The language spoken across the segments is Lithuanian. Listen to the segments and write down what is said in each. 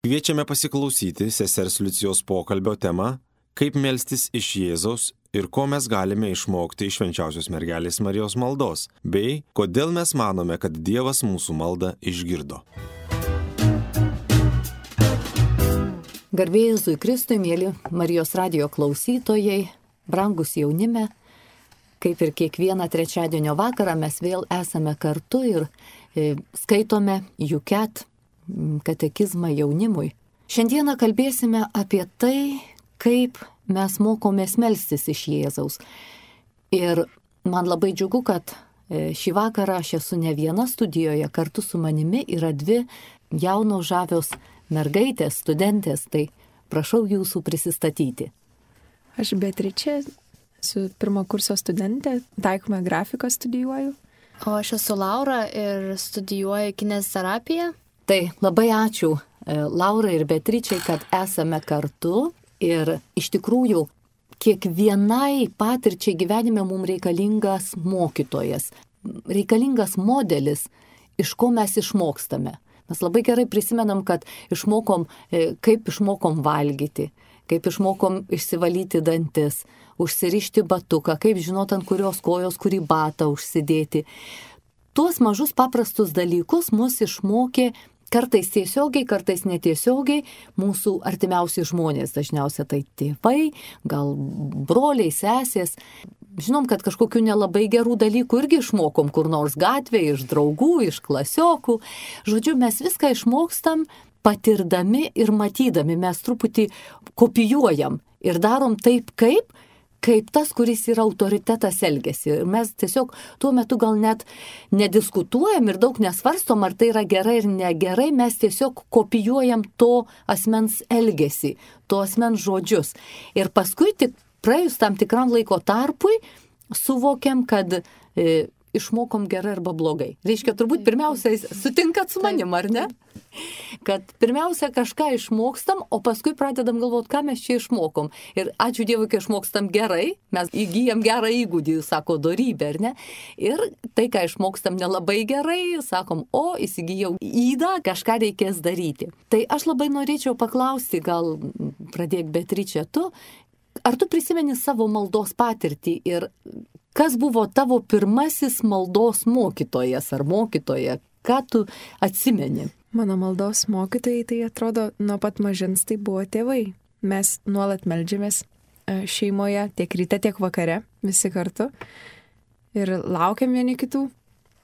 Kviečiame pasiklausyti sesers Liucijos pokalbio temą kaip melstis iš Jėzaus ir ko mes galime išmokti iš švenčiausios mergelės Marijos maldos, bei kodėl mes manome, kad Dievas mūsų maldą išgirdo. Garbė Jėzui Kristui, mėly Marijos radijo klausytojai, brangus jaunime, kaip ir kiekvieną trečiadienio vakarą mes vėl esame kartu ir skaitome Juket katekizmą jaunimui. Šiandieną kalbėsime apie tai, kaip mes mokomės melstis iš Jėzaus. Ir man labai džiugu, kad šį vakarą aš esu ne viena studijoje, kartu su manimi yra dvi jaunos žavios mergaitės, studentės, tai prašau jūsų prisistatyti. Aš Beatričė, esu pirmo kurso studentė, taikomąją grafiką studijuoju. O aš esu Laura ir studijuoju kineziterapiją. Tai labai ačiū Laurai ir Beatričiai, kad esame kartu ir iš tikrųjų kiekvienai patirčiai gyvenime mums reikalingas mokytojas, reikalingas modelis, iš ko mes išmokstame. Mes labai gerai prisimenam, kad kaip išmokom valgyti, kaip išmokom išsivalyti dantis, užsirišti batuką, kaip žinot ant kurios kojos kurį batą užsidėti. Tuos mažus paprastus dalykus mus išmokė kartais tiesiogiai, kartais netiesiogiai mūsų artimiausi žmonės, dažniausiai tai tėvai, gal broliai, sesės. Žinom, kad kažkokių nelabai gerų dalykų irgi išmokom kur nors gatvėje, iš draugų, iš klasiokų. Žodžiu, mes viską išmokstam patirdami ir matydami, mes truputį kopijuojam ir darom taip, kaip tas, kuris yra autoritetas elgiasi. Ir mes tiesiog tuo metu gal net nediskutuojam ir daug nesvarstom, ar tai yra gerai ir negerai, mes tiesiog kopijuojam to asmens elgesį, to asmens žodžius. Ir paskui tik praėjus tam tikram laiko tarpui suvokiam, kad išmokom gerai arba blogai. Reiškia, turbūt pirmiausiai sutinkat su manim, ar ne? Kad pirmiausia kažką išmokstam, o paskui pradedam galvoti, ką mes čia išmokom. Ir ačiū Dievui, kai išmokstam gerai, mes įgyjam gerą įgūdį, sako dorybė, ar ne? Ir tai, ką išmokstam nelabai gerai, sakom, įsigijau įdą, kažką reikės daryti. Tai aš labai norėčiau paklausti, gal pradėk Beatričė tu, ar tu prisimeni savo maldos patirtį ir kas buvo tavo pirmasis maldos mokytojas ar mokytoja? Ką tu atsimeni? Mano maldos mokytojai, tai atrodo, nuo pat mažens tai buvo tėvai. Mes nuolat meldžiamės šeimoje, tiek ryte, tiek vakare, visi kartu. Ir laukiam vieni kitų.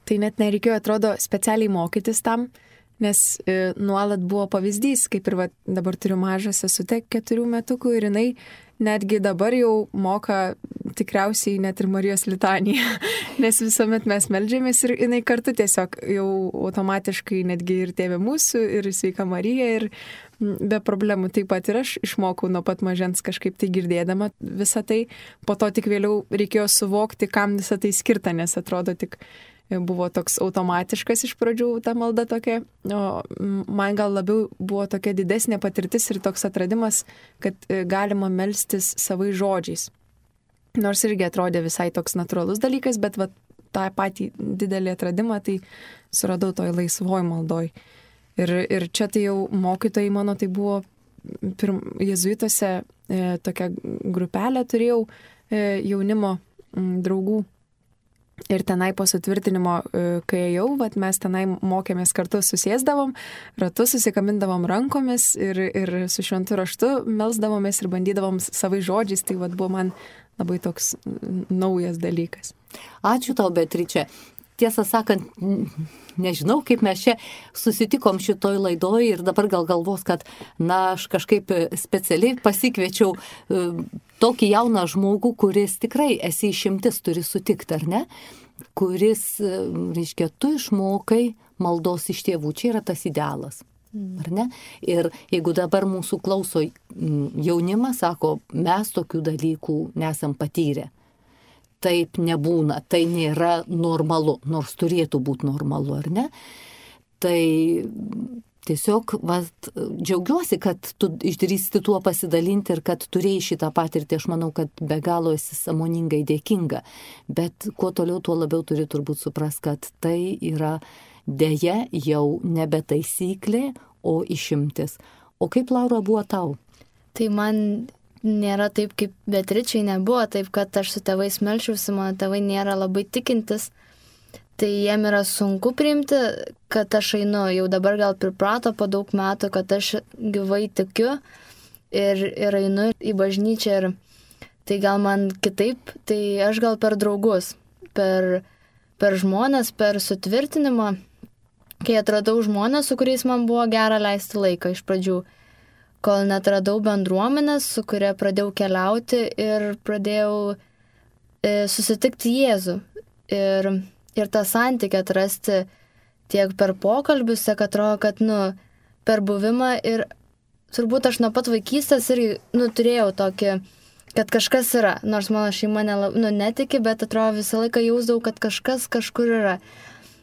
Tai net nereikėjo, atrodo, specialiai mokytis tam, nes nuolat buvo pavyzdys, kaip ir dabar turiu mažą sesutę 4 metukų ir jinai netgi dabar jau moka tikriausiai net ir Marijos litaniją, nes visuomet mes meldžiamės ir jinai kartu tiesiog jau automatiškai netgi ir Tėve mūsų, ir Sveika Marija, ir be problemų. Taip pat ir aš išmokau nuo pat mažens kažkaip tai girdėdama visą tai, po to tik vėliau reikėjo suvokti, kam visą tai skirta, nes atrodo tik buvo toks automatiškas iš pradžių ta malda tokia, o man gal labiau buvo tokia didesnė patirtis ir toks atradimas, kad galima melstis savais žodžiais. Nors irgi atrodė visai toks natūralus dalykas, bet tą patį didelį atradimą tai suradau toj laisvoj maldoj. Ir čia tai jau mokytojai mano, tai buvo jėzuituose tokią grupelę turėjau jaunimo draugų. Ir tenai po sutvirtinimo, kai ėjau, mes tenai mokėmės kartu, susėsdavom, ratu susikabindavom rankomis ir su šventu raštu melsdavomės ir bandydavom savai žodžiais, tai buvo man labai toks naujas dalykas. Ačiū tau, Beatričė. Tiesą sakant, nežinau, kaip mes čia susitikom šitoj laidoj ir dabar gal galvos, kad aš kažkaip specialiai pasikviečiau tokį jauną žmogų, kuris tikrai esi išimtis, turi sutikti, ar ne? Kuris, reiškia, tu išmokai maldos iš tėvų, čia yra tas idealas. Ar ne? Ir jeigu dabar mūsų klauso jaunimas, sako, mes tokių dalykų nesam patyrę. Taip nebūna, tai nėra normalu, nors turėtų būti normalu, ar ne? Tai tiesiog džiaugiuosi, kad tu išdrįsti tuo pasidalinti ir kad turėjai šitą patirtį, aš manau, kad be galo esi sąmoningai dėkinga, bet kuo toliau, tuo labiau turi turbūt suprast, kad tai yra deja jau nebe taisyklė, o išimtis. O kaip, Laura, buvo tau? Tai man nėra taip, kaip Beatričei nebuvo, taip, kad aš su tėvais melčiausi, mano tėvai nėra labai tikintis. Tai jiem yra sunku priimti, kad aš einu, jau dabar gal priprato po daug metų, kad aš gyvai tikiu ir einu į bažnyčią. Ir tai gal man kitaip, tai aš gal per draugus, per žmonės, per sutvirtinimą, kai atradau žmonės, su kuriais man buvo gera leisti laiką iš pradžių, kol netradau bendruomenės, su kuria pradėjau keliauti ir pradėjau susitikti Jėzų. Ir tą santykį atrasti tiek per pokalbius, tiek atrodo, kad, per buvimą ir turbūt aš nuo pat vaikystės irgi, turėjau tokį, kad kažkas yra, nors mano šeima netiki, bet atrodo visą laiką jausdavau, kad kažkas kažkur yra.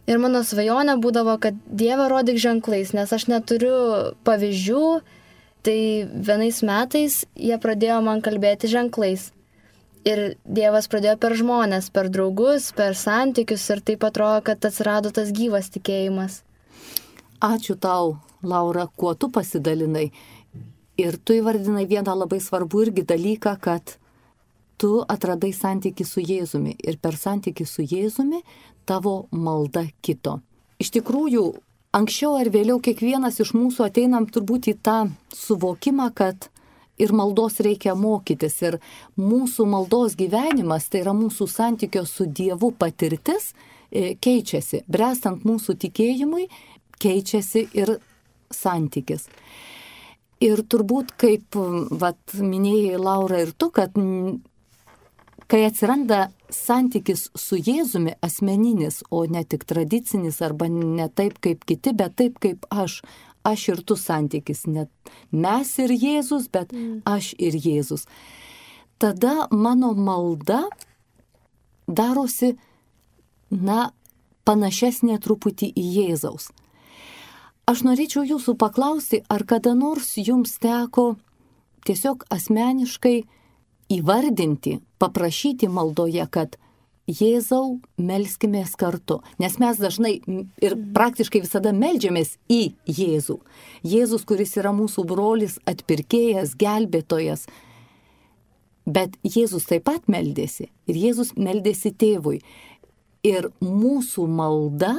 Ir mano svajonė būdavo, kad Dieve rodyk ženklais, nes aš neturiu pavyzdžių, tai vienais metais jie pradėjo man kalbėti ženklais. Ir Dievas pradėjo per žmonės, per draugus, per santykius ir taip atrodo, kad atsirado tas gyvas tikėjimas. Ačiū tau, Laura, kuo tu pasidalinai. Ir tu įvardinai vieną labai svarbų irgi dalyką, kad tu atradai santykį su Jėzumi ir per santykį su Jėzumi tavo malda kito. Iš tikrųjų, anksčiau ar vėliau kiekvienas iš mūsų ateinam turbūt į tą suvokimą, kad ir maldos reikia mokytis. Ir mūsų maldos gyvenimas, tai yra mūsų santykio su Dievu patirtis, keičiasi. Brestant mūsų tikėjimui, keičiasi ir santykis. Ir turbūt, kaip minėjai Laura ir tu, kad kai atsiranda santykis su Jėzumi asmeninis, o ne tik tradicinis arba ne taip kaip kiti, bet taip kaip aš ir tu santykis, net mes ir Jėzus, bet aš ir Jėzus. Tada mano malda darosi, panašesnė truputį į Jėzaus. Aš norėčiau jūsų paklausti, ar kada nors jums teko tiesiog asmeniškai įvardinti, paprašyti maldoje, kad Jėzau, melskimės kartu, nes mes dažnai ir praktiškai visada meldžiamės į Jėzų. Jėzus, kuris yra mūsų brolis, atpirkėjas, gelbėtojas. Bet Jėzus taip pat meldėsi ir Jėzus meldėsi tėvui. Ir mūsų malda,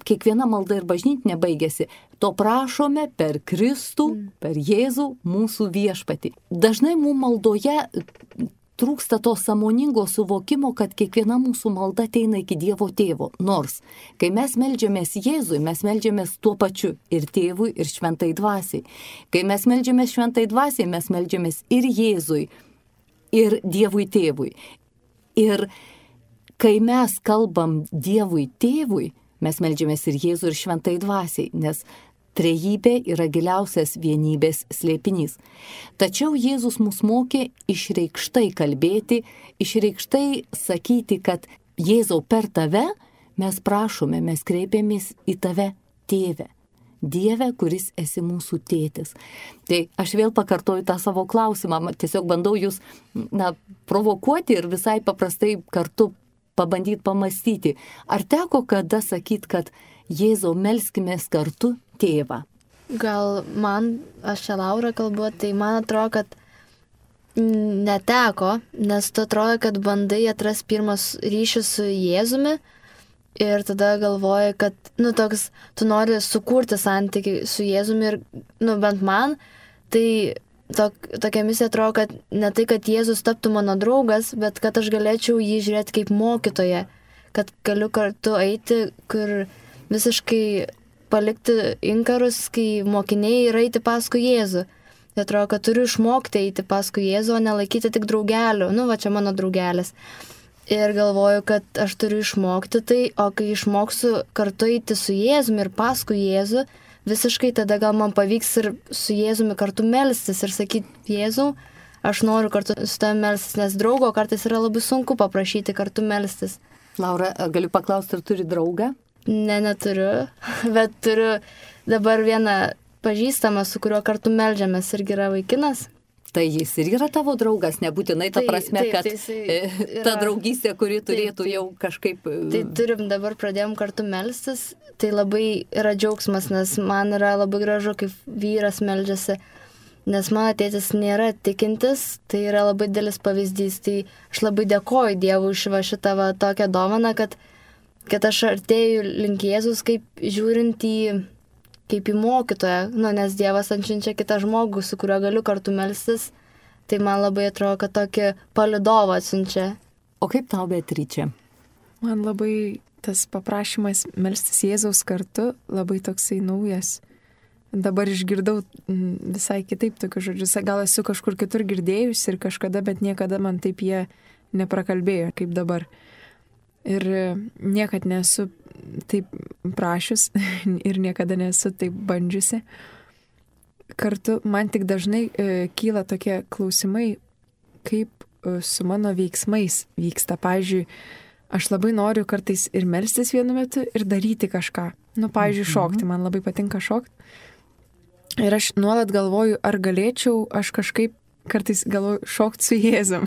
kiekviena malda ir bažnytinė baigėsi, to prašome per Kristų, per Jėzų, mūsų viešpatį. Dažnai mūsų maldoje trūksta to sąmoningo suvokimo, kad kiekviena mūsų malda ateina iki Dievo tėvo. Nors, kai mes meldžiamės Jėzui, mes meldžiamės tuo pačiu ir tėvui, ir šventai dvasiai. Kai mes meldžiamės šventai dvasiai, mes meldžiamės ir Jėzui, ir Dievui tėvui. Ir kai mes kalbam Dievui tėvui, mes meldžiamės ir Jėzui, ir šventai dvasiai, nes trejybė yra giliausias vienybės slėpinys. Tačiau Jėzus mus mokė išreikštai kalbėti, išreikštai sakyti, kad Jėzau, per tave mes prašome, mes kreipiamės į tave, tėve. Dieve, kuris esi mūsų tėtis. Tai aš vėl pakartoju tą savo klausimą, tiesiog bandau jūs provokuoti ir visai paprastai kartu pabandyti pamastyti. Ar teko kada sakyti, kad Jėzau, melskimės kartu tėvą? Gal aš čia Laura kalbu, tai man atrodo, kad neteko, nes tu atrodo, kad bandai atras pirmas ryšius su Jėzumi ir tada galvoji, kad, tu nori sukurti santykį su Jėzumi ir, bent man, tai tokia misija atrodo, kad ne tai, kad Jėzus taptų mano draugas, bet kad aš galėčiau jį žiūrėti kaip mokytoją, kad galiu kartu eiti, kur visiškai palikti inkarus, kai mokiniai yra eiti paskui Jėzų. Tai atrodo, kad turiu išmokti eiti paskui Jėzų, o nelaikyti tik draugelių. Čia mano draugelis. Ir galvoju, kad aš turiu išmokti tai, o kai išmoksiu kartu eiti su Jėzumi ir paskui Jėzų, visiškai tada gal man pavyks ir su Jėzumi kartu melstis ir sakyti, Jėzau, aš noriu kartu su tavimi melstis, nes draugo kartais yra labai sunku paprašyti kartu melstis. Laura, galiu paklausti, ar turi draugą? Ne, neturiu, bet turiu dabar vieną pažįstamą, su kuriuo kartu meldžiamės, irgi yra vaikinas. Tai jis ir yra tavo draugas, nebūtinai ta prasme, kad ta draugystė, kuri turėtų jau kažkaip... Tai dabar pradėjom kartu melstis, tai labai yra džiaugsmas, nes man yra labai gražu, kaip vyras meldžiasi, nes mano tėtis nėra tikintis, tai yra labai didelis pavyzdys, tai aš labai dėkoju Dievui už šitą tokią dovaną, kad aš artėju link Jėzus, kaip žiūrint kaip į mokytoją, nes Dievas anšinčia kitą žmogų, su kuriuo galiu kartu melstis, tai man labai atrodo, kad tokį palydovą atsiunčia. O kaip tau, Beatričė? Man labai tas paprašymas melstis Jėzaus kartu labai toksai naujas. Dabar išgirdau visai kitaip tokius žodžius. Gal esu kažkur kitur girdėjus ir kažkada, bet niekada man taip jie neprakalbėjo kaip dabar. Ir niekad nesu taip prašius ir niekada nesu taip bandžiusi. Kartu man tik dažnai kyla tokie klausimai, kaip su mano veiksmais vyksta. Pavyzdžiui, aš labai noriu kartais ir melstis vienu metu ir daryti kažką. Pavyzdžiui, šokti. Man labai patinka šokti. Ir aš nuolat galvoju, ar galėčiau aš kažkaip kartais galvoju šokti su Jėzum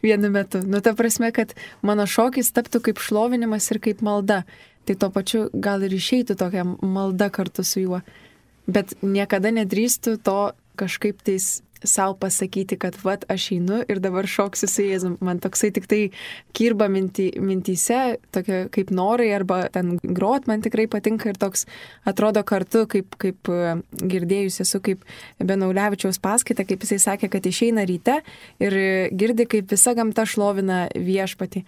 vienu metu. Ta prasme, kad mano šokis taptų kaip šlovinimas ir kaip malda. Tai tuo pačiu gal ir išeitų tokia malda kartu su juo. Bet niekada nedrįstu to kažkaip tais savo pasakyti, kad aš einu ir dabar šoksiu su Jėzum. Man toksai tik tai kirba mintyse, tokia kaip norai arba ten grot man tikrai patinka ir toks atrodo kartu, kaip girdėjus esu kaip Benaulevičiaus paskaitą, kaip jisai sakė, kad išeina ryte ir girdi, kaip visa gamta šlovina viešpatį.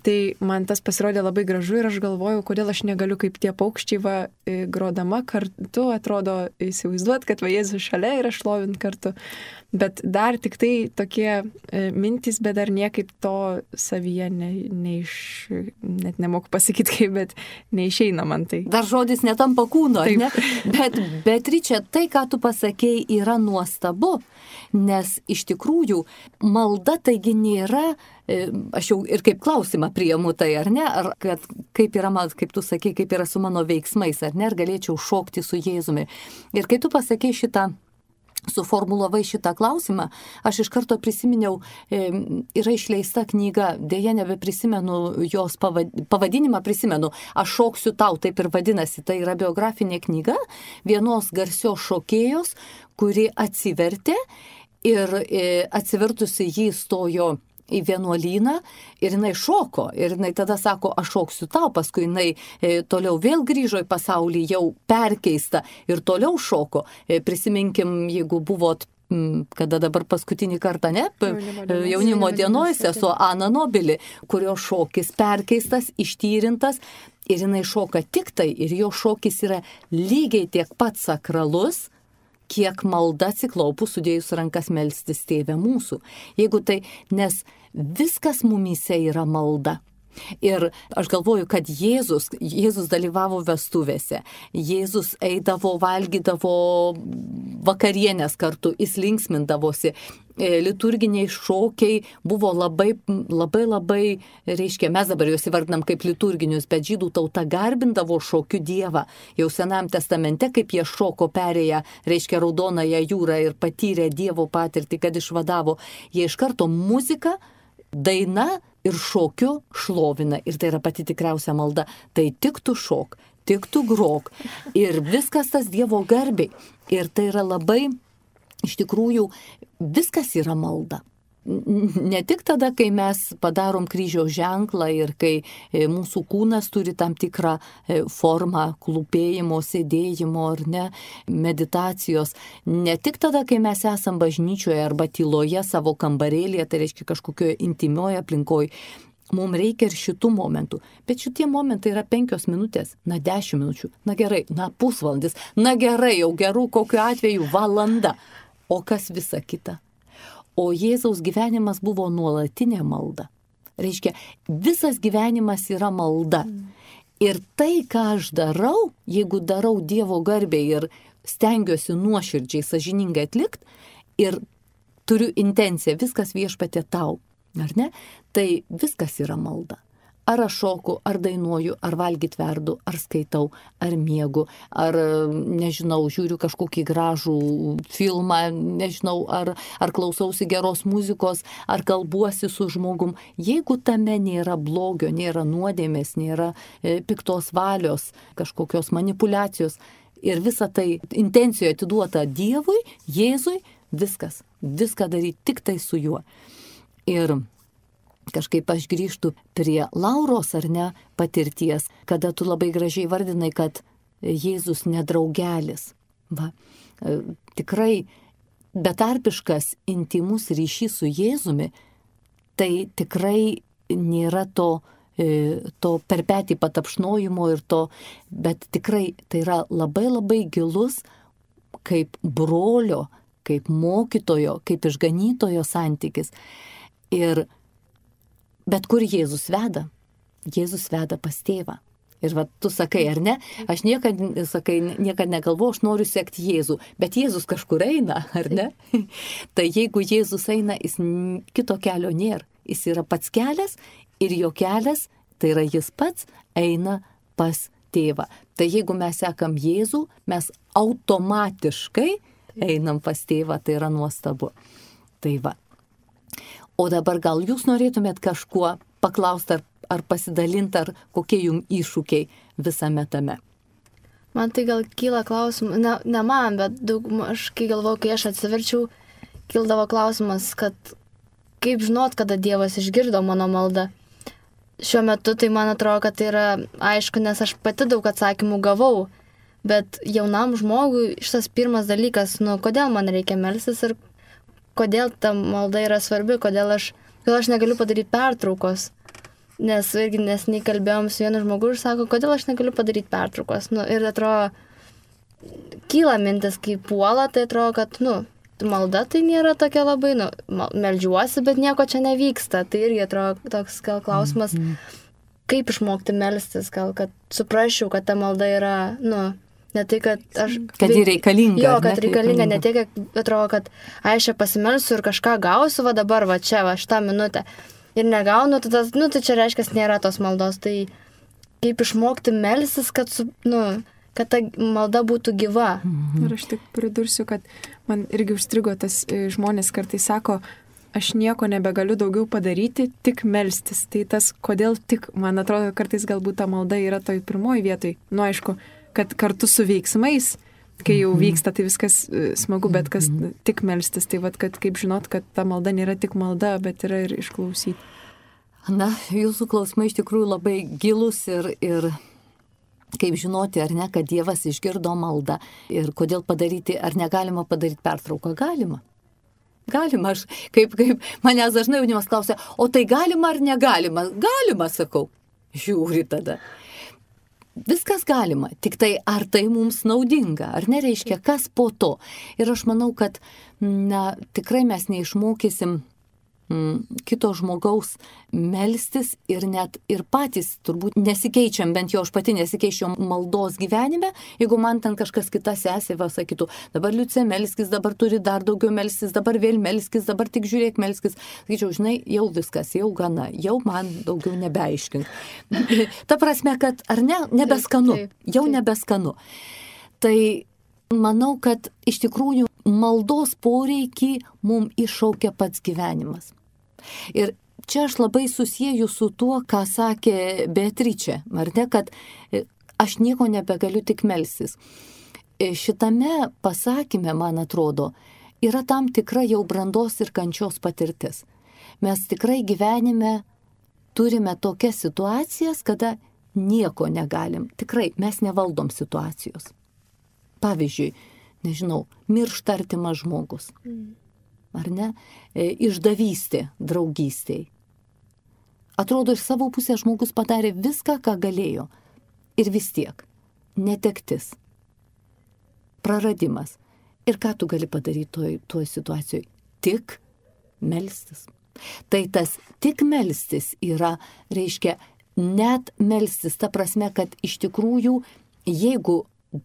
Tai man tas pasirodė labai gražu ir aš galvojau, kodėl aš negaliu kaip tie paukščiai grodama kartu, atrodo įsivaizduot, kad Jėzus šalia ir aš šlovint kartu. Bet dar tik tai tokie mintys, bet dar niekaip to savyje net nemoku pasakyti kaip, bet neišeina man tai. Dar žodis netampa kūno, ne? Bet Beatričė, tai, ką tu pasakėjai, yra nuostabu, nes iš tikrųjų malda taigi nėra, aš jau ir kaip klausimą priimu tai, ar ne, ar kad kaip yra, kaip tu sakei, kaip yra su mano veiksmais, ar ne, ar galėčiau šokti su Jėzumi. Ir kai tu pasakei suformulavai šitą klausimą, aš iš karto prisiminiau, yra išleista knyga, dėja nebeprisimenu jos pavadinimą, prisimenu, Aš šoksiu tau, taip ir vadinasi, tai yra biografinė knyga vienos garsios šokėjos, kuri atsivertė ir atsivertusi jį stojo į vienuolyną ir jinai šoko ir jinai tada sako, aš šoksiu tau, paskui jinai toliau vėl grįžo į pasaulį jau perkeista ir toliau šoko. Prisiminkim, jeigu buvot, kada dabar paskutinį kartą, ne, jaunimo dienoje sesuo Ana Nobili, kurio šokis perkeistas, ištyrintas ir jinai šoka tik tai ir jo šokis yra lygiai tiek pat sakralus, kiek malda atsiklaupus sudėjus rankas melstis Tėve mūsų. Jeigu tai, nes viskas mumyse yra malda. Ir aš galvoju, kad Jėzus dalyvavo vestuvėse, Jėzus eidavo, valgydavo vakarienės kartu, jis linksmindavosi, liturginiai šokiai buvo labai, reiškia, mes dabar juos įvardinam kaip liturginius, bet žydų tauta garbindavo šokių Dievą. Jau Senajame testamente, kaip jie šoko perėję, reiškia, Raudonąją jūrą ir patyrė Dievo patirtį, kad išvadavo, jie iš karto muziką, daina ir šokiu šlovina. Ir tai yra pati tikriausia malda. Tai tik tu šok, tik tu grok. Ir viskas tas Dievo garbiai. Ir tai yra labai, iš tikrųjų, viskas yra malda. Ne tik tada, kai mes padarom kryžiaus ženklą ir kai mūsų kūnas turi tam tikrą formą klūpėjimo, sėdėjimo ar ne, meditacijos. Ne tik tada, kai mes esam bažnyčioje arba tyloje savo kambarėlėje, tai reiškia kažkokioje intimioje aplinkoje. Mums reikia ir šitų momentų. Bet šitie momentai yra 5 minutės, 10 minučių, gerai, pusvalandis, gerai, jau gerų kokiu atveju valanda. O kas visa kita? O Jėzaus gyvenimas buvo nuolatinė malda. Reiškia, visas gyvenimas yra malda. Ir tai, ką aš darau, jeigu darau Dievo garbei ir stengiuosi nuoširdžiai, sąžiningai atlikti ir turiu intenciją, viskas Viešpatie tau, ar ne? Tai viskas yra malda. Ar aš šoku, ar dainuoju, ar valgyt verdu, ar skaitau, ar miegu, ar, nežinau, žiūriu kažkokį gražų filmą, nežinau, ar klausausi geros muzikos, ar kalbuosi su žmogum. Jeigu tame nėra blogio, nėra nuodėmės, nėra piktos valios, kažkokios manipulacijos ir visa tai intencijoje atiduota Dievui, Jėzui, viską daryti tik tai su juo. Ir kažkaip aš grįžtu prie Lauros, ar ne, patirties, kada tu labai gražiai vardinai, kad Jėzus nedraugelis. Va, tikrai betarpiškas intimus ryšys su Jėzumi, tai tikrai nėra to per petį patapšnojimo ir to, bet tikrai tai yra labai labai gilus kaip brolio, kaip mokytojo, kaip išganytojo santykis. Bet kur Jėzus veda? Jėzus veda pas tėvą. Ir va, tu sakai, ar ne? Aš niekad negalvoju, aš noriu sekti Jėzų, bet Jėzus kažkur eina, ar ne? Tai jeigu Jėzus eina, jis kito kelio nėra. Jis yra pats kelias ir jo kelias, tai yra jis pats, eina pas tėvą. Tai jeigu mes sekam Jėzų, mes automatiškai einam pas tėvą, tai yra nuostabu. Tai va. O dabar gal jūs norėtumėt kažkuo paklausti ar pasidalinti, ar kokie jums iššūkiai visame tame? Man tai gal kyla klausimų, ne man, bet aš kai galvoju, kai aš atsiverčiau, kildavo klausimas, kad kaip žinot, kada Dievas išgirdo mano maldą. Šiuo metu tai man atrodo, kad tai yra aišku, nes aš pati daug atsakymų gavau, bet jaunam žmogui šitas pirmas dalykas, kodėl man reikia melstis ir kodėl ta malda yra svarbi, kodėl aš negaliu padaryti pertraukos. Nes irgi neseniai kalbėjom su vienu žmogu ir sako, kodėl aš negaliu padaryti pertraukos. Ir atrodo, kyla mintis, kai puola, tai atrodo, kad, malda tai nėra tokia labai, meldžiuosi, bet nieko čia nevyksta. Tai irgi atrodo toks gal klausimas, kaip išmokti melstis, gal kad suprasčiau, kad ta malda yra, ne tai, kad aš... Kad ji reikalinga. Jo, kad reikalinga, ne tiek, atrodo, kad aš čia pasimelsiu ir kažką gausiu, va dabar, va čia, va šitą minutę. Ir negaunu, tai čia reiškia, nėra tos maldos. Tai kaip išmokti melstis, kad ta malda būtų gyva. Ir aš tik pridursiu, kad man irgi užstrigo tas žmonės kartais sako, aš nieko nebegaliu daugiau padaryti, tik melstis. Tai tas, kodėl tik, man atrodo, kartais galbūt ta malda yra toj pirmoj vietoj. Aišku, kad kartu su veiksmais, kai jau vyksta, tai viskas smagu, bet kas tik melstis, tai kad kaip žinot, kad ta malda nėra tik malda, bet yra ir išklausyti. Na, jūsų klausimai iš tikrųjų labai gilus ir kaip žinoti, ar ne, kad Dievas išgirdo maldą ir kodėl padaryti, ar negalima padaryti pertrauką? Galima. Galima, aš kaip manęs dažnai jaunimas klausia, o tai galima ar negalima? Galima, sakau, žiūri tada. Viskas galima, tik tai ar tai mums naudinga, ar nereiškia, kas po to. Ir aš manau, kad tikrai mes neišmokysim kito žmogaus melstis ir net ir patys turbūt nesikeičiam, bent jau aš pati nesikeičiau maldos gyvenime, jeigu man ten kažkas kita sesė sakytų, dabar Liucė melskis, dabar turi dar daugiau melstis, dabar vėl melskis, dabar tik žiūrėk melskis. Sakyčiau, žinai, jau viskas, jau gana, jau man daugiau nebeaiškink. Ta prasme, kad ar ne, nebeskanu, jau nebeskanu. Tai manau, kad iš tikrųjų maldos poreikį mums iššaukia pats gyvenimas. Ir čia aš labai susieju su tuo, ką sakė Beatričė, ar ne, kad aš nieko nebegaliu tik melstis. Šitame pasakyme, man atrodo, yra tam tikra jau brandos ir kančios patirtis. Mes tikrai gyvenime turime tokias situacijas, kada nieko negalim. Tikrai mes nevaldom situacijos. Pavyzdžiui, nežinau, miršta artimas žmogus. Ar ne? Išdavystė draugystėj. Atrodo, iš savo pusės žmogus padarė viską, ką galėjo. Ir vis tiek. Netektis. Praradimas. Ir ką tu gali padaryti toj situacijoje? Tik melstis. Tai tas tik melstis yra, reiškia, net melstis. Ta prasme, kad iš tikrųjų, jeigu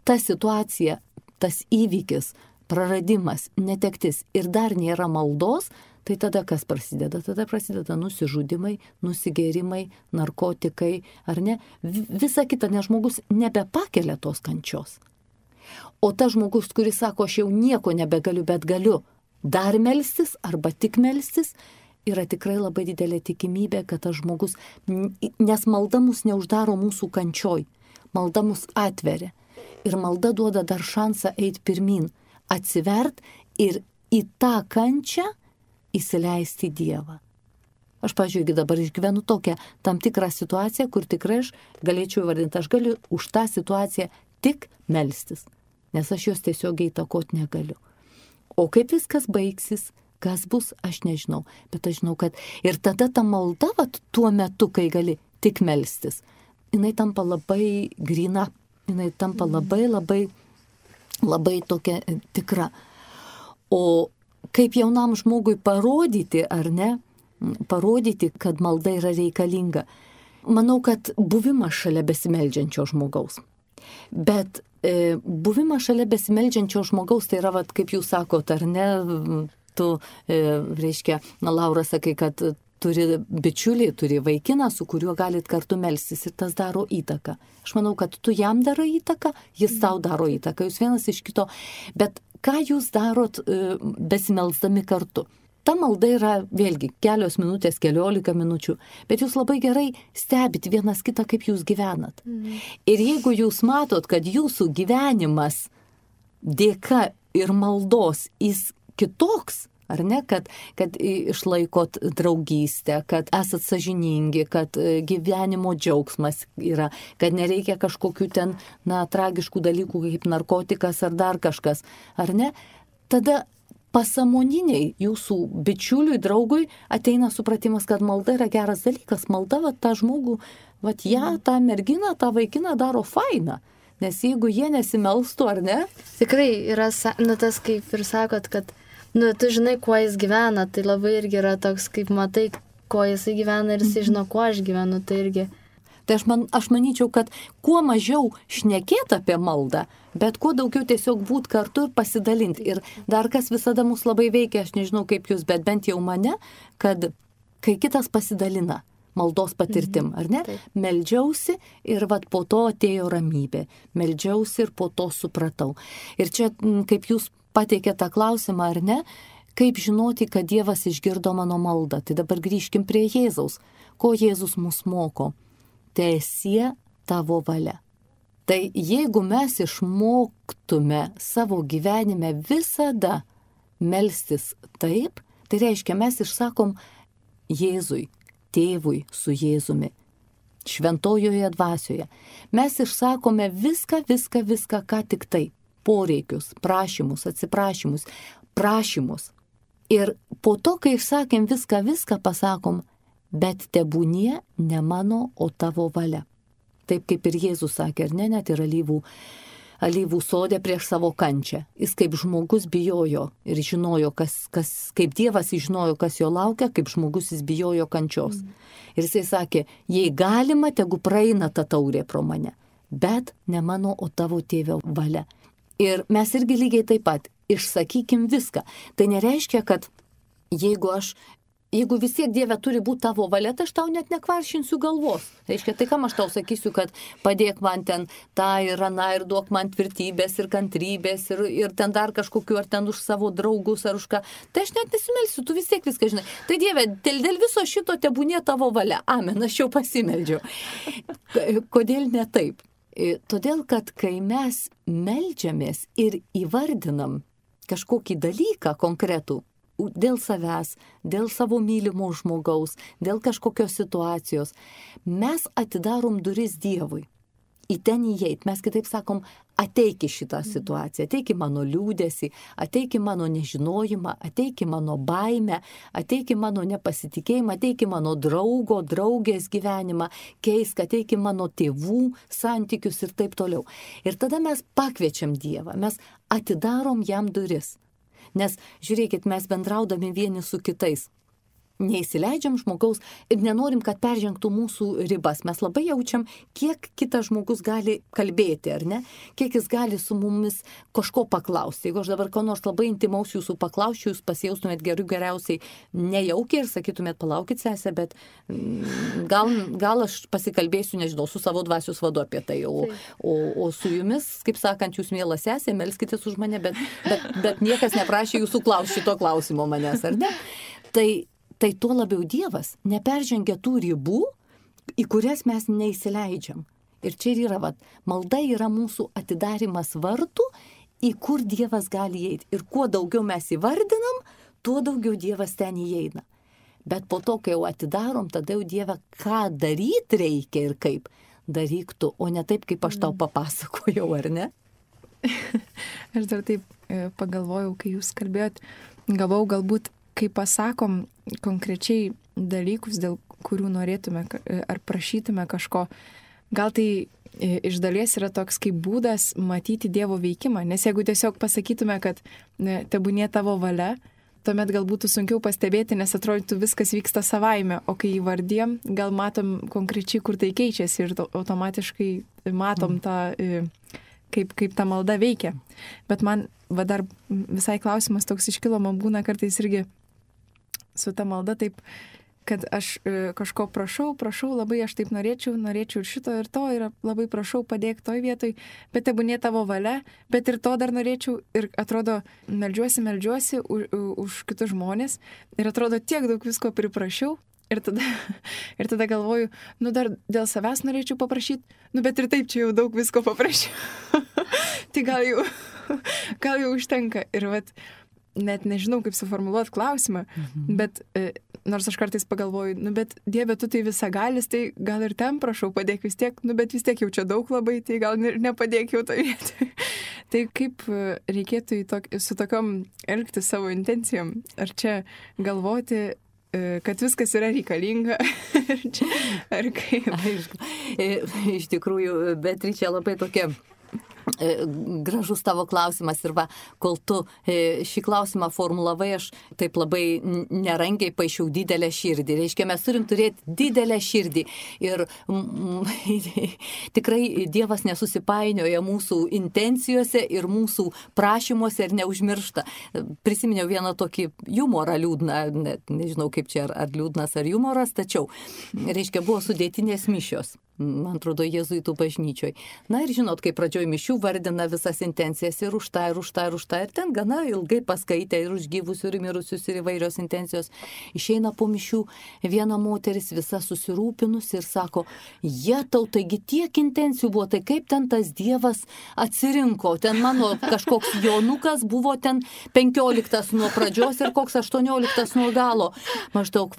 ta situacija, tas įvykis, praradimas, netektis ir dar nėra maldos, tai tada kas prasideda? Tada prasideda nusižudimai, nusigėrimai, narkotikai, ar ne? Visa kita, nes žmogus nebepakelia tos kančios. O tas žmogus, kuris sako, aš jau nieko nebegaliu, bet galiu dar melstis arba tik melstis, yra tikrai labai didelė tikimybė, kad tas žmogus, nes malda mus neuždaro mūsų kančioj, malda mus atveria. Ir malda duoda dar šansą eiti pirmin, atsivert ir į tą kančią įsileisti Dievą. Aš, pažiūrėjau, dabar išgyvenu tokią tam tikrą situaciją, kur tikrai aš galėčiau įvardinti, aš galiu už tą situaciją tik melstis, nes aš jos tiesiog įtakoti negaliu. O kaip viskas baigsis, kas bus, aš nežinau, bet aš žinau, kad ir tada ta malda, tuo metu, kai gali tik melstis, jinai tampa labai gryna, jinai tampa labai tokia tikra. O kaip jaunam žmogui parodyti, ar ne, parodyti, kad malda yra reikalinga. Manau, kad buvimas šalia besimeldžiančio žmogaus. Bet buvimas šalia besimeldžiančio žmogaus, tai yra, kaip jūs sakot, ar ne, tu, reiškia, Laura, sakai, kad turi bičiulį, turi vaikiną, su kuriuo galit kartu melstis ir tas daro įtaką. Aš manau, kad tu jam daro įtaką, jis tau daro įtaką, jūs vienas iš kito. Bet ką jūs darot besimelsdami kartu? Ta malda yra, vėlgi, kelios minutės, 14 minučių, bet jūs labai gerai stebit vienas kitą, kaip jūs gyvenat. Ir jeigu jūs matot, kad jūsų gyvenimas dėka ir maldos jis kitoks, ar ne, kad išlaikot draugystę, kad esat sąžiningi, kad gyvenimo džiaugsmas yra, kad nereikia kažkokių ten, tragiškų dalykų kaip narkotikas ar dar kažkas, ar ne, tada pasąmoniniai jūsų bičiuliui, draugui ateina supratimas, kad malda yra geras dalykas, malda tą žmogų, tą merginą, tą vaikiną daro fainą. Nes jeigu jie nesimelstų, ar ne? Tikrai yra, tas kaip ir sakot, kad tu žinai, kuo jis gyvena, tai labai irgi yra toks, kaip matai, kuo jisai gyvena ir jisai žino, kuo aš gyvenu, tai irgi. Tai aš manyčiau, kad kuo mažiau šnekėt apie maldą, bet kuo daugiau tiesiog būt kartu ir pasidalinti. Ir dar kas visada mus labai veikia, aš nežinau kaip jūs, bet bent jau mane, kad kai kitas pasidalina maldos patirtim, ar ne? Taip. Meldžiausi ir po to atėjo ramybė. Meldžiausi ir po to supratau. Ir čia, kaip jūs pateikė tą klausimą, ar ne, kaip žinoti, kad Dievas išgirdo mano maldą. Tai dabar grįžkim prie Jėzaus. Ko Jėzus mus moko? Teesie tavo valia. Tai jeigu mes išmoktume savo gyvenime visada melstis taip, tai reiškia, mes išsakom Jėzui, Tėvui su Jėzumi, šventojoje dvasioje. Mes išsakome viską, ką tik tai. Poreikius, prašymus, atsiprašymus, prašymus. Ir po to, kai išsakėm viską pasakom, bet tebūnie ne mano, o tavo valia. Taip kaip ir Jėzus sakė, ar ne, net ir alyvų sode prieš savo kančią. Jis kaip žmogus bijojo ir žinojo, kaip Dievas žinojo, kas jo laukia, kaip žmogus jis bijojo kančios. Ir jisai sakė, jei galima, tegu praeina ta taurė pro mane, bet ne mano, o tavo tėvio valia. Ir mes irgi lygiai taip pat išsakykim viską. Tai nereiškia, kad jeigu vis tiek Dieve turi būti tavo valia, tai aš tau net nekvaršinsiu galvos. Reiškia, tai kam aš tau sakysiu, kad padėk man ten tą ir aną ir duok man tvirtybės ir kantrybės ir ten dar kažkokiu, ar ten už savo draugus ar už ką. Tai aš net nesimelsiu, tu vis tiek viską žinai. Tai Dieve, dėl viso šito tebūnie tavo valia. Amen, aš jau pasimeldžiau. Kodėl ne taip? Todėl, kad kai mes meldžiamės ir įvardinam kažkokį dalyką konkretų, dėl savęs, dėl savo mylimo žmogaus, dėl kažkokios situacijos, mes atidarom duris Dievui. Į ten įeit. Mes kitaip sakom, ateik į šitą situaciją, ateik į mano liūdesį, ateik į mano nežinojimą, ateik į mano baimę, ateik į mano nepasitikėjimą, ateik į mano draugo, draugės gyvenimą, keisk, ateik į mano tėvų santykius ir taip toliau. Ir tada mes pakviečiam Dievą, mes atidarom jam duris. Nes, žiūrėkit, mes bendraudami vieni su kitais. neįsileidžiam žmogaus ir nenorim, kad peržengtų mūsų ribas. Mes labai jaučiam, kiek kitas žmogus gali kalbėti, ar ne? Kiek jis gali su mumis kažko paklausti. Jeigu aš dabar ko nors labai intimaus jūsų paklausčiau, jūs pasijaustumėt geriausiai nejaukiai ir sakytumėt, palaukit sesę, bet gal aš pasikalbėsiu, nežinau, su savo dvasios vadu apie tai. O su jumis, kaip sakant, jūs miela sesė, melskitės už mane, bet niekas neprašė jūsų šito klausimo manęs, ar ne? Tai tuo labiau Dievas neperžengia tų ribų, į kurias mes neįsileidžiam. Ir čia yra, malda yra mūsų atidarimas vartų, į kur Dievas gali įeiti. Ir kuo daugiau mes įvardinam, tuo daugiau Dievas ten įeina. Bet po to, kai jau atidarom, tada jau Dieve, ką daryti reikia ir kaip daryk tu, o ne taip, kaip aš tau papasakojau, ar ne? Aš dar taip pagalvojau, kai jūs kalbėjot, galbūt, kai pasakom konkrečiai dalykus, dėl kurių norėtume ar prašytume kažko, gal tai iš dalies yra toks kaip būdas matyti Dievo veikimą, nes jeigu tiesiog pasakytume, kad tebūnie tavo valia, tuomet gal būtų sunkiau pastebėti, nes atrodytų viskas vyksta savaime, o kai įvardėm, gal matom konkrečiai, kur tai keičiasi ir automatiškai matom tą, kaip ta malda veikia. Bet man dar visai klausimas toks iškilo, man būna kartais irgi su ta malda taip, kad aš kažko prašau labai, aš taip norėčiau ir šito ir to, ir labai prašau, padėk toj vietoj, bet tebūnie tavo valia, bet ir to dar norėčiau, ir atrodo, meldžiuosi už kitus žmonės, ir atrodo, tiek daug visko priprašiau, ir tada galvoju, dar dėl savęs norėčiau paprašyti, bet ir taip čia jau daug visko paprašiau. Tai gal jau užtenka. Ir net nežinau, kaip suformuluoti klausimą, bet nors aš kartais pagalvoju, bet Dieve, tu tai visagalis, tai gal ir ten prašau, padėk vis tiek, bet vis tiek jau čia daug labai, tai gal nepadėk jau toje vietoje. Tai kaip reikėtų su tokiom elgti savo intencijom? Ar čia galvoti, kad viskas yra reikalinga? Ar kaip? Iš tikrųjų, Beatričė, labai tokia gražus tavo klausimas ir kol tu šį klausimą formulavai, aš taip labai nerangiai paišiau didelę širdį. Reiškia, mes turim turėti didelę širdį ir tikrai Dievas nesusipainioja mūsų intencijose ir mūsų prašymuose ir neužmiršta. Prisiminiau vieną tokį humorą liūdną, nežinau kaip čia ar liūdnas ar humoras, tačiau, reiškia, buvo sudėtinės mišios. Man atrodo, jėzuitų bažnyčioj. Na ir žinot, kai pradžioj mišių vardina visas intencijas ir už tą, ir ten gana ilgai paskaitė ir už gyvusius, ir mirusius, ir įvairios intencijos. Išeina po mišių viena moteris visa susirūpinusi ir sako, jetau, taigi tiek intencijų buvo, tai kaip ten tas Dievas atsirinko. Ten mano kažkoks Jonukas buvo ten 15 nuo pradžios ir koks 18 nuo galo. Maždaug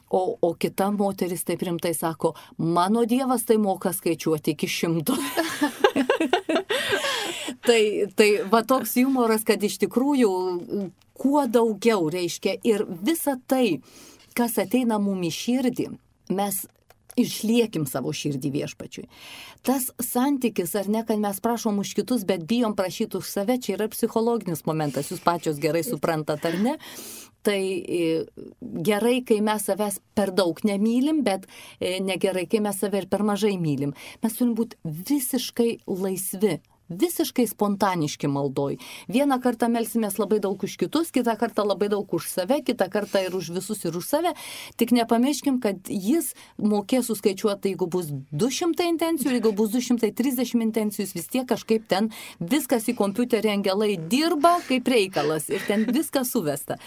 O kita moteris taip rimtai sako, mano Dievas tai moka skaičiuoti iki 100. tai toks humoras, kad iš tikrųjų kuo daugiau reiškia ir visa tai, kas ateina mum į širdį, mes išliekim savo širdį Viešpačiui. Tas santykis, ar ne, kad mes prašom už kitus, bet bijom prašyti už save, čia yra psichologinis momentas, jūs pačios gerai suprantat, ar ne? Tai gerai, kai mes savęs per daug nemylim, bet negerai, kai mes save ir per mažai mylim. Mes turim būti visiškai laisvi. Visiškai spontaniški maldoj. Vieną kartą melsimės labai daug už kitus, kitą kartą labai daug už save, kitą kartą ir už visus ir už save. Tik nepamirškim, kad jis mokės suskaičiuoti, jeigu bus 200 intencijų, jeigu bus 230 intencijų, vis tiek kažkaip ten viskas į kompiuterį angelai dirba kaip reikalas ir ten viskas suvesta.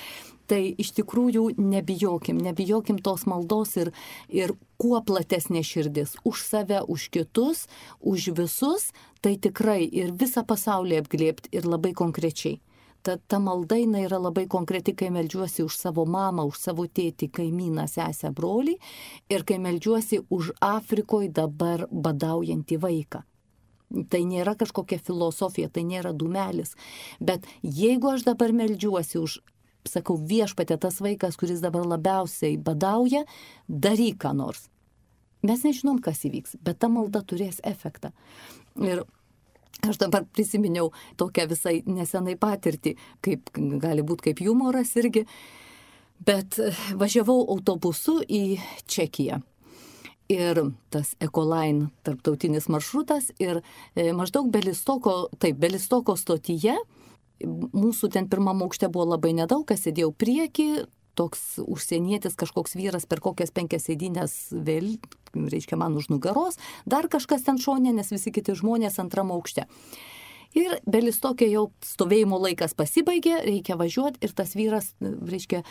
Tai iš tikrųjų nebijokim tos maldos ir kuo platesnė širdis už save, už kitus, už visus, tai tikrai ir visą pasaulį apglėbti ir labai konkrečiai. Ta malda yra labai konkreti, kai meldžiuosi už savo mamą, už savo tėtį, kaimyną, sesę, brolį ir kai meldžiuosi už Afrikoje dabar badaujantį vaiką. Tai nėra kažkokia filosofija, tai nėra dūmelis, bet jeigu aš dabar meldžiuosi už, sakau, Viešpatie, tas vaikas, kuris dabar labiausiai badauja, daryk ką nors. Mes nežinom, kas įvyks, bet ta malda turės efektą. Ir aš dabar prisiminiau tokią visai nesenai patirtį, kaip gali būti kaip humoras irgi. Bet važiavau autobusu į Čekiją. Ir tas Ecoline tarptautinis maršrutas ir maždaug Belistoko stotyje, mūsų ten pirmam aukšte buvo labai nedaug, kas sėdėjau prieki, toks užsienietis, kažkoks vyras per kokias 5 sėdynės vėl, reiškia man už nugaros, dar kažkas ten šonė, nes visi kiti žmonės antram aukšte. Ir Belistokė jau stovėjimo laikas pasibaigė, reikia važiuoti ir tas vyras, reiškia,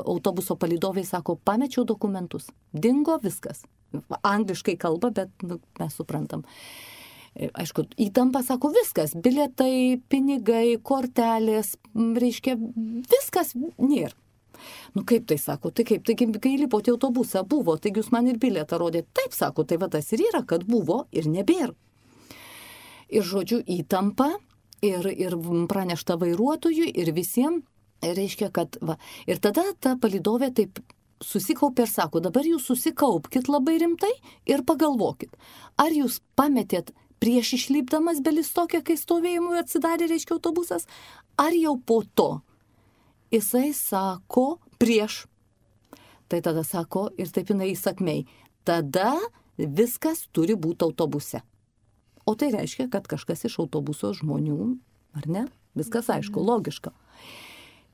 autobuso palydoviai sako, pamečiau dokumentus. Dingo viskas. Angliškai kalba, bet mes suprantam. Aišku, įtampa sako viskas, bilietai, pinigai, kortelės, reiškia, viskas nėra. Nu kaip tai sako, tai kaip, taigi kai lipote autobusą buvo, taigi jūs man ir bilietą rodėte. Taip sako, tai va tas ir yra, kad buvo ir nebėra. Ir žodžiu įtampa, ir pranešta vairuotojui, ir visiems, reiškia, kad va. Ir tada ta palydovė taip susikaupė ir sako, dabar jūs susikaupkit labai rimtai ir pagalvokit, ar jūs pametėt prieš išlipdamas Belistokę, kai stovėjimui atsidarė, reiškia, autobusas, ar jau po to. Jisai sako prieš. Tai tada sako, ir taip jinai įsakmei, tada viskas turi būti autobuse. O tai reiškia, kad kažkas iš autobuso žmonių, ar ne? Viskas aišku, logiška.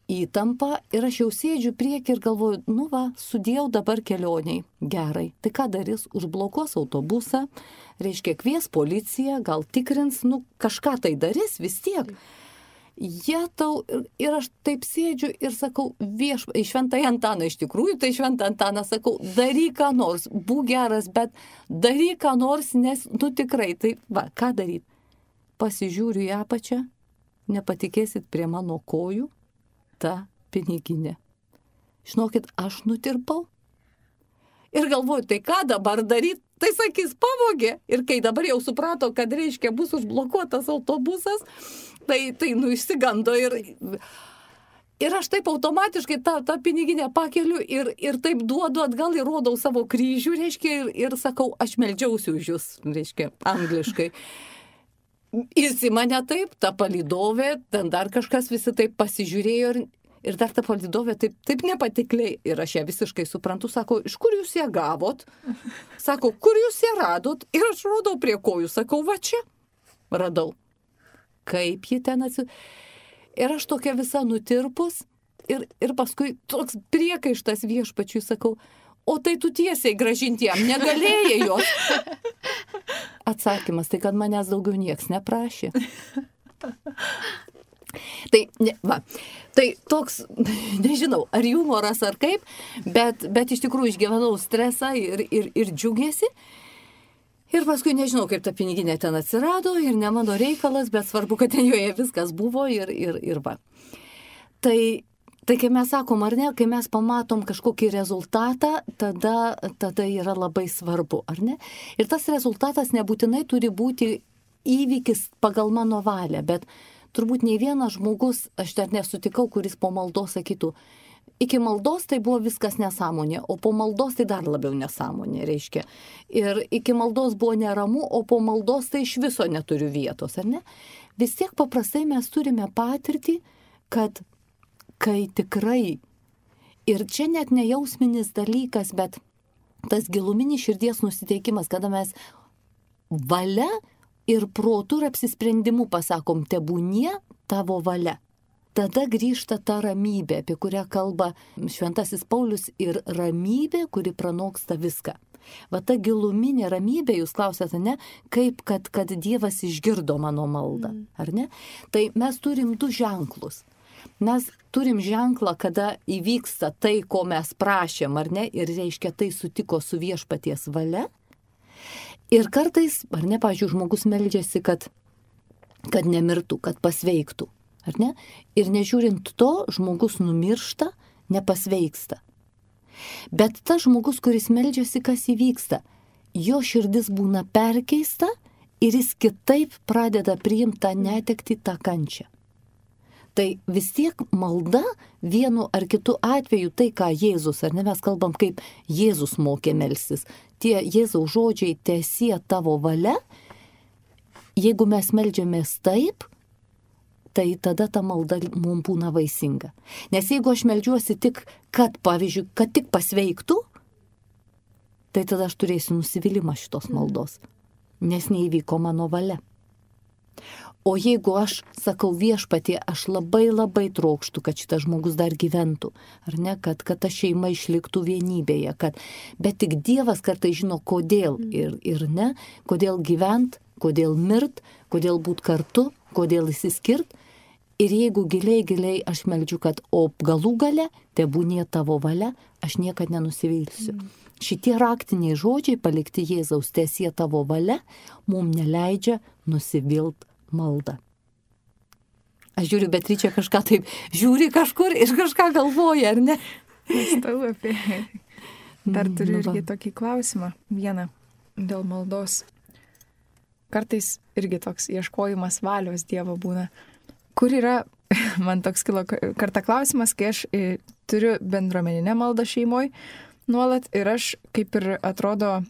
Įtampa ir aš jau sėdžiu prieki ir galvoju, nu va, sudėjau dabar kelioniai. Gerai, tai ką darys? Užblokuos autobusą, reiškia kvies policiją, gal tikrins, nu kažką tai darys vis tiek. Jetau, ir aš taip sėdžiu ir sakau, į Šventąjį Antaną iš tikrųjų, tai Šventą Antaną sakau, daryk ką nors, būk geras, bet daryk ką nors, nes, nu tikrai, tai va, ką daryt? Pasižiūriu į apačią, nepatikėsit prie mano kojų, ta piniginė. Žinokit, aš nutirpau. Ir galvoju, tai ką dabar daryt? Tai sakys, pavogė. Ir kai dabar jau suprato, kad reiškia bus užblokuotas autobusas, tai išsigando ir aš taip automatiškai tą piniginę pakeliu ir taip duodu atgal ir rodau savo kryžių, reiškia, ir sakau, aš meldžiausi už jūs, reiškia, angliškai. Jis į mane taip, ta palydovė, ten dar kažkas visi taip pasižiūrėjo ir dar ta palydovė taip nepatikliai. Ir aš ją visiškai suprantu, sako, iš kur jūs ją gavot? Sako, kur jūs ją radot? Ir aš rodau prie kojų, sakau, va čia radau. Kaip ji ten Ir aš tokia visa nutirpus ir paskui toks priekaištas viešpačiui, sakau, o tai tu tiesiai grąžinti jam negalėjai jos. Atsakymas, tai kad manęs daugiau nieks neprašė. Tai toks, nežinau, ar humoras ar kaip, bet iš tikrųjų išgyvenau stresą ir džiugėsi. Ir paskui nežinau, kaip ta piniginė ten atsirado ir ne mano reikalas, bet svarbu, kad ten joje viskas buvo ir va. Tai kai mes sakom, ar ne, kai mes pamatom kažkokį rezultatą, tada yra labai svarbu, ar ne? Ir tas rezultatas nebūtinai turi būti įvykis pagal mano valią, bet turbūt nei vienas žmogus, aš dar nesutikau, kuris po maldos sakytų, iki maldos tai buvo viskas nesąmonė, o po maldos tai dar labiau nesąmonė, reiškia. Ir iki maldos buvo neramu, o po maldos tai iš viso neturiu vietos, ar ne? Vis tiek paprastai mes turime patirtį, kad kai tikrai, ir čia net nejausminis dalykas, bet tas giluminis širdies nusiteikimas, kada mes valia ir protu ir apsisprendimu pasakom, tebūnie tavo valia. Tada grįžta ta ramybė, apie kurią kalba Šventasis Paulius, ir ramybė, kuri pranoksta viską. Va ta giluminė ramybė, jūs klausėte, ne, kaip kad Dievas išgirdo mano maldą, ar ne? Tai mes turim 2 ženklus. Mes turim ženklą, kada įvyksta tai, ko mes prašėm, ar ne, ir reiškia tai sutiko su viešpaties valia. Ir kartais, ar ne, pavyzdžiui, žmogus meldžiasi, kad nemirtų, kad pasveiktų. Ar ne? Ir nežiūrint to, žmogus numiršta, nepasveiksta. Bet tas žmogus, kuris meldžiasi, kas įvyksta, jo širdis būna perkeista ir jis kitaip pradeda priimti tą netektį, tą kančią. Tai vis tiek malda vienu ar kitu atveju, tai ką Jėzus, ar ne, mes kalbam, kaip Jėzus mokė melstis. Tie Jėzaus žodžiai, teesie tavo valia, jeigu mes meldžiamės taip, tai tada ta malda mums būna vaisinga. Nes jeigu aš meldžiuosi tik, kad, pavyzdžiui, kad tik pasveiktų, tai tada aš turėsiu nusivylimą šitos maldos, nes neįvyko mano valia. O jeigu aš sakau Viešpatie, aš labai labai trokštu, kad šitas žmogus dar gyventų, ar ne, kad ta šeima išliktų vienybėje, bet tik Dievas kartais žino, kodėl ir ne, kodėl gyvent, kodėl mirt, kodėl būt kartu, kodėl įsiskirt. Ir jeigu giliai aš meldžiu, kad o galų gale, tebūnie tavo valia, aš niekad nenusivilsiu. Šitie raktiniai žodžiai palikti Jėzaus, teesie tavo valia, mums neleidžia nusivilt maldą. Aš žiūriu, Beatričė kažką taip žiūri kažkur ir kažką galvoja, ar ne? Mąstau apie. Dar turiu irgi tokį klausimą. Vieną dėl maldos. Kartais irgi toks ieškojimas valios Dievo būna. Kur yra, man toks kilo kartą klausimas, kai aš turiu bendruomeninę maldą šeimoje nuolat ir aš kaip ir atrodo,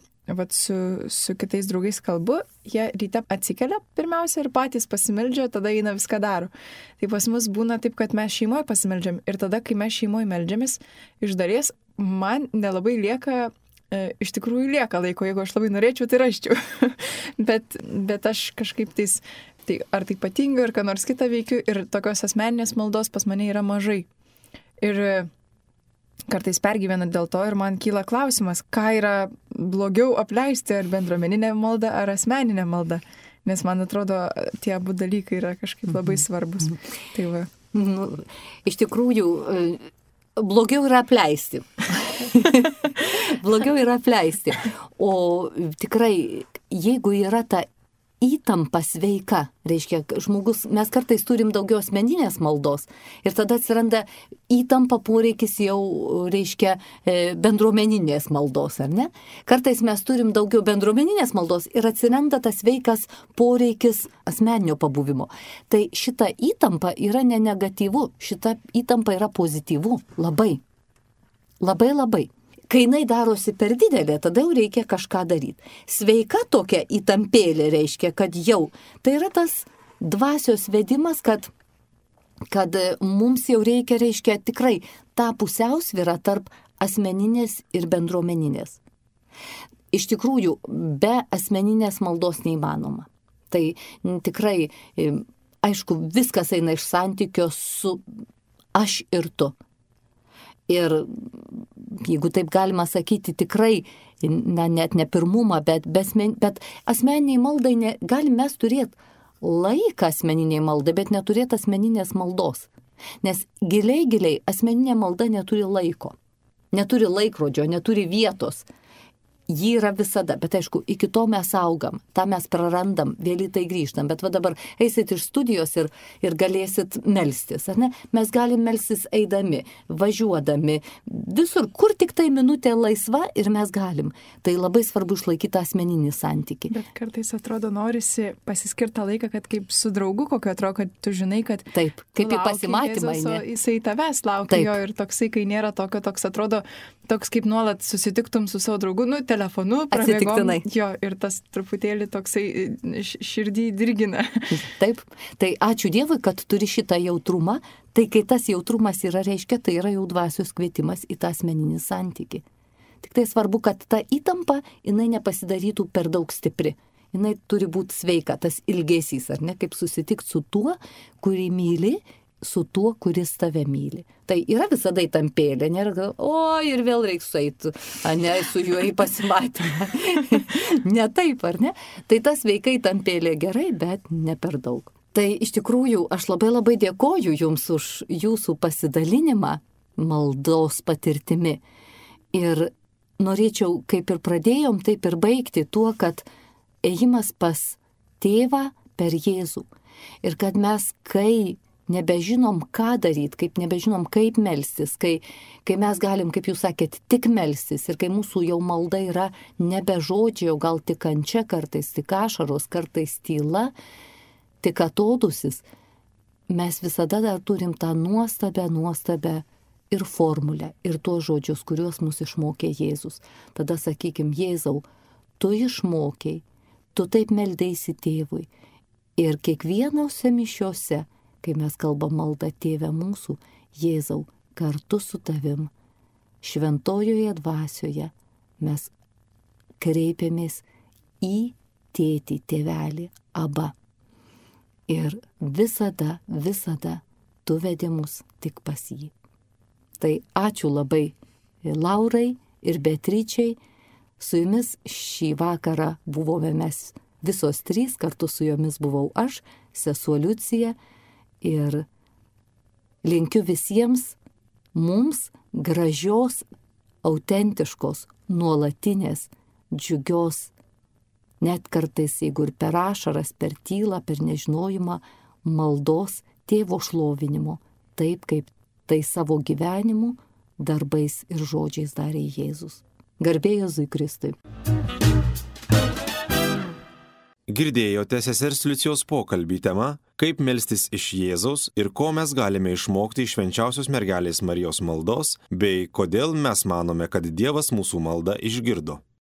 su kitais draugais kalbu, jie ryte atsikelia pirmiausia ir patys pasimeldžia, tada eina viską daro. Tai pas mus būna taip, kad mes šeimoje pasimeldžiam ir tada, kai mes šeimoje meldžiamės, iš dalies man nelabai lieka, iš tikrųjų lieka laiko, jeigu aš labai norėčiau, tai raščiau. bet aš kažkaip tai ar tai patinga, ar ką nors kitą veikiu ir tokios asmeninės maldos pas mane yra mažai. Ir kartais pergyvenu dėl to ir man kyla klausimas, ką yra blogiau apleisti, ar bendruomeninę maldą, ar asmeninę maldą. Nes man atrodo, tie abu dalykai yra kažkaip labai svarbus. Tai va. Iš tikrųjų, blogiau yra apleisti. Blogiau yra apleisti. O tikrai, jeigu yra ta įtampa sveika, reiškia, žmogus, mes kartais turim daugiau asmeninės maldos ir tada atsiranda įtampa poreikis jau, reiškia, bendruomeninės maldos, ar ne? Kartais mes turim daugiau bendruomeninės maldos ir atsiranda tas sveikas poreikis asmeninio pabuvimo. Tai šita įtampa yra ne negatyvu, šita įtampa yra pozityvu, labai. Labai, labai. Kai jinai darosi per didelė, tada jau reikia kažką daryti. Sveika tokia įtampėlė reiškia, kad jau. Tai yra tas dvasios vedimas, kad mums jau reiškia tikrai tą pusiausvyrą tarp asmeninės ir bendruomeninės. Iš tikrųjų, be asmeninės maldos neįmanoma. Tai tikrai, aišku, viskas eina iš santykio su aš ir tu. Ir jeigu taip galima sakyti, tikrai, net ne pirmumą, bet asmeniniai maldai galim mes turėti laiką asmeniniai maldai, bet neturėti asmeninės maldos. Nes giliai asmeninė malda neturi laiko, neturi laikrodžio, neturi vietos. Ji yra visada, bet aišku, iki to mes augam, tą mes prarandam, vėl į tai grįžtam, bet va dabar eisit iš studijos ir galėsit melstis, ar ne? Mes galim melstis eidami, važiuodami, visur, kur tik tai minutė laisva ir mes galim. Tai labai svarbu išlaikyti asmeninį santykį. Bet kartais atrodo norisi pasiskirtą laiką, kad kaip su draugu kokio atrodo, kad tu žinai, kad taip, kaip į pasimatymą, jisai tavęs laukia jo ir toksai, kai nėra tokio, toks atrodo, toks kaip nuolat susitiktum su savo draugu, telefonu, prabėgom, jo, ir tas truputėlį toksai širdį dirgina. Taip, tai ačiū Dievui, kad turi šitą jautrumą, tai kai tas jautrumas yra, reiškia, tai yra jau dvasios kvietimas į tą asmeninį santykį. Tik tai svarbu, kad ta įtampa, jinai nepasidarytų per daug stipri. Jinai turi būti sveika, tas ilgesys, ar ne, kaip susitikti su tuo, kurį myli, su tuo, kuris tave myli. Tai yra visada įtampėlė, nėra, ir vėl reiks eiti, ne, su juo į pasimatymą. Ne taip, ar ne? Tai tas veikai įtampėlė gerai, bet ne per daug. Tai iš tikrųjų aš labai dėkoju Jums už Jūsų pasidalinimą maldos patirtimi. Ir norėčiau, kaip ir pradėjom, taip ir baigti tuo, kad ėjimas pas tėvą per Jėzų. Ir kad mes, kai nebežinom, ką daryti, kaip nebežinom, kaip melstis, kai mes galim, kaip jūs sakėt, tik melstis ir kai mūsų jau malda yra nebe žodžiai, o gal tik kančia, kartais tik ašaros, kartais tyla, tik atodusis, mes visada dar turim tą nuostabę ir formulę, ir tuos žodžius, kuriuos mus išmokė Jėzus. Tada sakykim, Jėzau, tu išmokei, tu taip meldėsi tėvui ir kiekvienose mišiose kai mes kalbam maldą Tėve mūsų, Jėzau, kartu su tavim, šventojoje dvasioje mes kreipiamės į tėtį, tėvelį, Abba. Ir visada, visada tu vedi mus tik pas jį. Tai ačiū labai Laurai ir Beatričei. Su jumis šį vakarą buvome mes visos trys, kartu su jomis buvau aš, sesuo Liucija, ir linkiu visiems mums gražios, autentiškos, nuolatinės, džiugios, net kartais, jeigu ir per ašaras, per tylą, per nežinojimą, maldos Tėvo šlovinimo, taip kaip tai savo gyvenimu, darbais ir žodžiais darė Jėzus. Garbė Jėzui Kristui. Girdėjote sesers Liucijos pokalbį tema, kaip melstis iš Jėzaus ir ko mes galime išmokti iš švenčiausios mergelės Marijos maldos, bei kodėl mes manome, kad Dievas mūsų maldą išgirdo.